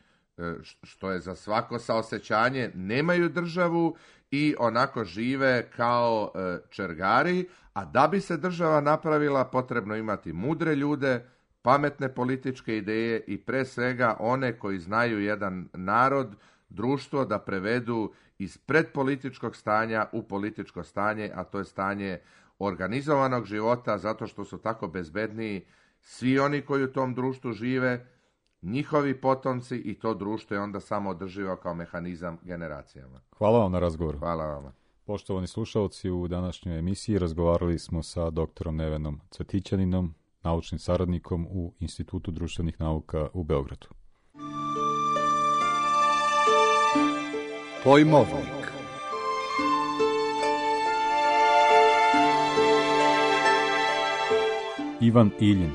S5: što je za svako saosećanje, nemaju državu i onako žive kao čergari, a da bi se država napravila potrebno imati mudre ljude, pametne političke ideje i pre svega one koji znaju jedan narod, društvo da prevedu iz predpolitičkog stanja u političko stanje, a to je stanje organizovanog života, zato što su tako bezbedniji svi oni koji u tom društvu žive, njihovi potomci i to društvo je onda samo održivo kao mehanizam generacijama.
S4: Hvala vam na razgovoru.
S5: Hvala vama.
S4: Poštovani slušalci, u današnjoj emisiji razgovarali smo sa doktorom Nevenom Cvetićaninom, naučnim saradnikom u Institutu društvenih nauka u Beogradu.
S3: Pojmovnik.
S4: Ivan Iljin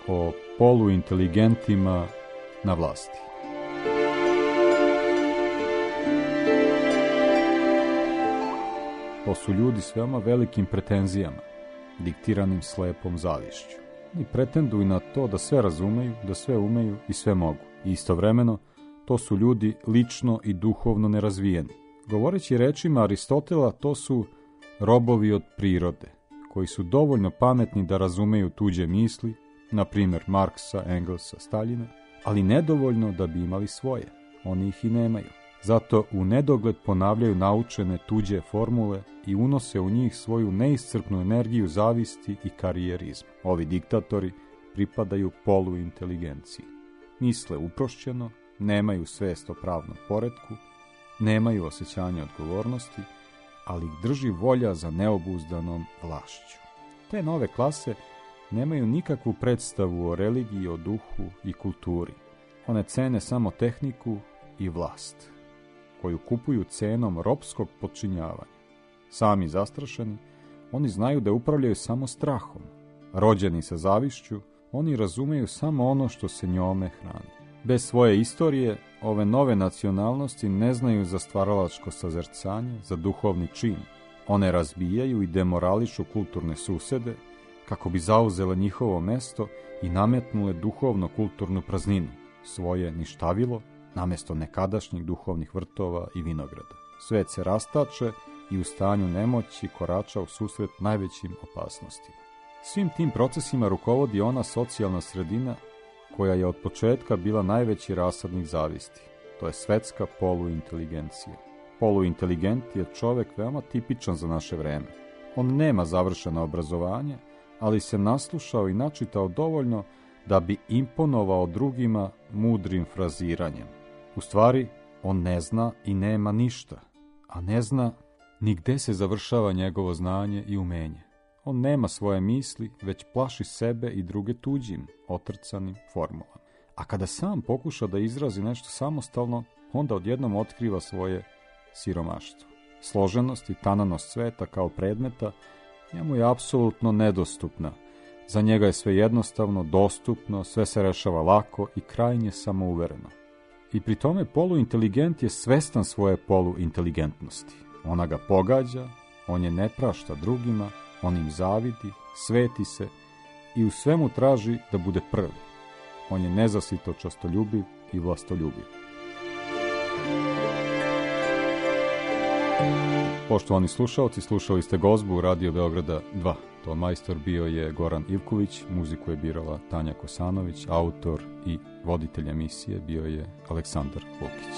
S4: o poluinteligentima na vlasti. To su ljudi s veoma velikim pretenzijama, diktiranim slepom zavišću. Oni pretenduju na to da sve razumeju, da sve umeju i sve mogu. I istovremeno, to su ljudi lično i duhovno nerazvijeni. Govoreći rečima Aristotela, to su robovi od prirode, koji su dovoljno pametni da razumeju tuđe misli, na primjer Marksa, Engelsa, Staljina, ali nedovoljno da bi imali svoje. Oni ih i nemaju. Zato u nedogled ponavljaju naučene tuđe formule i unose u njih svoju neiscrpnu energiju zavisti i karijerizma. Ovi diktatori pripadaju poluinteligenciji. Misle uprošćeno, nemaju svest o pravnom poretku, nemaju osjećanja odgovornosti, ali ih drži volja za neobuzdanom vlašću. Te nove klase nemaju nikakvu predstavu o religiji, o duhu i kulturi. One cene samo tehniku i vlast, koju kupuju cenom ropskog podčinjavanja. Sami zastrašeni, oni znaju da upravljaju samo strahom. Rođeni sa zavišću, oni razumeju samo ono što se njome hrani. Bez svoje istorije, ove nove nacionalnosti ne znaju za stvaralačko sazercanje, za duhovni čin. One razbijaju i demorališu kulturne susede, kako bi zauzele njihovo mesto i nametnule duhovno-kulturnu prazninu, svoje ništavilo, namjesto nekadašnjih duhovnih vrtova i vinograda. Svet se rastače i u stanju nemoći korača u susret najvećim opasnostima. Svim tim procesima rukovodi ona socijalna sredina koja je od početka bila najveći rasadnik zavisti. To je svetska poluinteligencija. Poluinteligent je čovek veoma tipičan za naše vreme. On nema završeno obrazovanje, ali se naslušao i načitao dovoljno da bi imponovao drugima mudrim fraziranjem. U stvari, on ne zna i nema ništa, a ne zna ni gde se završava njegovo znanje i umenje. On nema svoje misli, već plaši sebe i druge tuđim, otrcanim formulama. A kada sam pokuša da izrazi nešto samostalno, onda odjednom otkriva svoje siromaštvo. Složenost i tananost sveta kao predmeta njemu je apsolutno nedostupna. Za njega je sve jednostavno, dostupno, sve se rešava lako i krajnje samouvereno. I pri tome poluinteligent je svestan svoje poluinteligentnosti. Ona ga pogađa, on je ne prašta drugima, on im zavidi, sveti se i u svemu traži da bude prvi. On je nezasito častoljubiv i vlastoljubiv. Poštovani slušalci, slušali ste gozbu Radio Beograda dva. Ton majstor bio je Goran Ivković, muziku je birala Tanja Kosanović, autor i voditelj emisije bio je Aleksandar Lukić.